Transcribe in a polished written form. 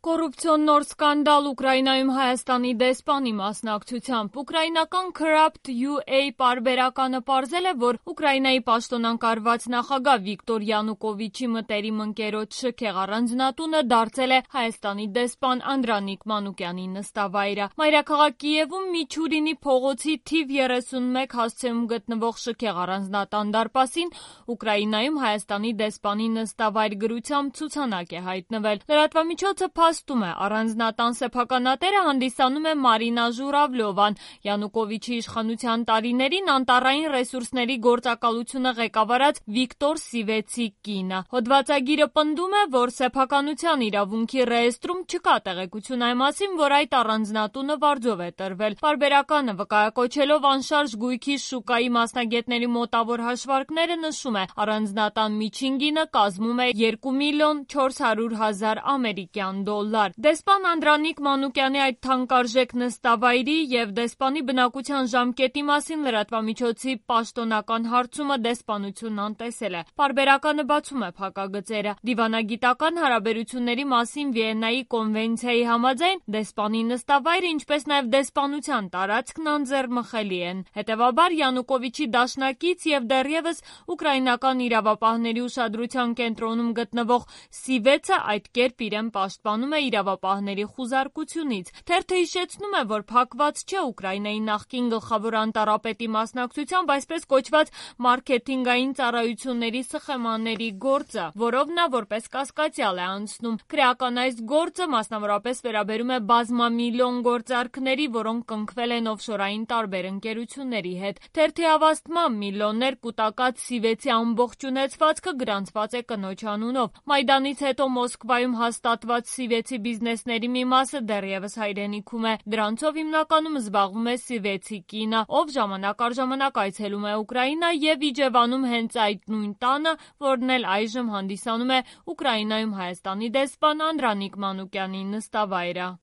Կոռուպցիոն նոր սկանդալ Ուկրաինայում Հայաստանի դեսպանի մասնակցությամբ։ Ուկրաինական Corrupt UA պարբերականը պարզել է, որ Ուկրաինայի պաշտոնակարգված նախագահ Վիկտոր Յանուկովիչի մտերիմ ընկերոջ շքեղ առանձնատունը դարձել է Հայաստանի դեսպան Անդրանիկ Մանուկյանի նստավայրը։ Մայրաքաղաք Կիևում Միչուրինի փողոցի թիվ 31 հասցեում գտնվող շքեղ առանձնատան դարպասին Ուկրաինայում Հայաստանի դեսպանի նստավայր գրությամբ ցուցանակ է հայտնվել։ Լրատվամիջոցը փաստում է, առանձնատան սեփականատերը հանդիսանում է Մարինա Ժուրավլյովան, Յանուկովիչի իշխանության տարիներին անտառային ռեսուրսների գործակալությունը ղեկավարած Վիկտոր Սիվեցի կինը։ Հոդվածագիրը պնդում է, որ սեփականության իրավունքի ռեեստրում չկա տեղեկություն այն մասին, որ այդ առանձնատունը վարձով է տրվել։ Պարբերականը վկայակոչելով անշարժ գույքի շուկայի մասնագետների մոտավոր հաշվարկները նշում է, առանձնատան միջին գինը կազմում է 2 միլիոն 400 հազար ամերիկյան դոլար։ Դեսպան Անդրանիկ Մանուկյանի այդ թանկարժեք նստավայրի եւ դեսպանի բնակության ժամկետի մասին լրատվամիջոցի պաշտոնական հարցումը դեսպանությունն անտեսել է։ Պարբերականը բացում է փակագծերը։ Դիվանագիտական հարաբերությունների մասին Վիեննայի կոնվենցիայի համաձայն դեսպանի նստավայրը, ինչպես նաեւ դեսպանության տարածքն անձեռմխելի են։ Հետևաբար Յանուկովիչի դաշնակից եւ դեռևս ուկրաինական իրավապահների ուշադրության կենտրոնում գտնվող Սիվեցը այդ կերպ իրեն պաշտպանում է իրավապահների խուզարկությունից։ Թերթը հիշեցնում է, որ փակված չէ Ուկրաինայի նախկին գլխավոր անտառապետի մասնակցությամբ այսպես կոչված մարքեթինգային ծառայությունների սխեմաների գործը, որով նա որպես կասկածյալ է անցնում։ Քրեական այս գործը մասնավորապես վերաբերում է բազմամիլիոն գործարքների, որոնք կնքվել են օֆշորային տարբեր ընկերությունների հետ։ Թերթի հավաստմամբ միլիոններ կուտակած Սիվեցի ամբողջ ունեցվածքը գրանցված է կնոջ անունով։ Մայդանից հետո Մոսկվայում հաստատված Սիվեցի բիզնեսների մի մասը դեռևս հայրենիքում է։ Դրանցով հիմնականում զբաղվում է Սիվեցի կինը, ով ժամանակ առ ժամանակ այցելում է Ուկրաինա եւ իջևանում հենց այդ նույն տանը, որն էլ այժմ հանդիսանում է Ուկրաինայում Հայաստանի դեսպան Անդրանիկ Մանուկյանի նստավայրը։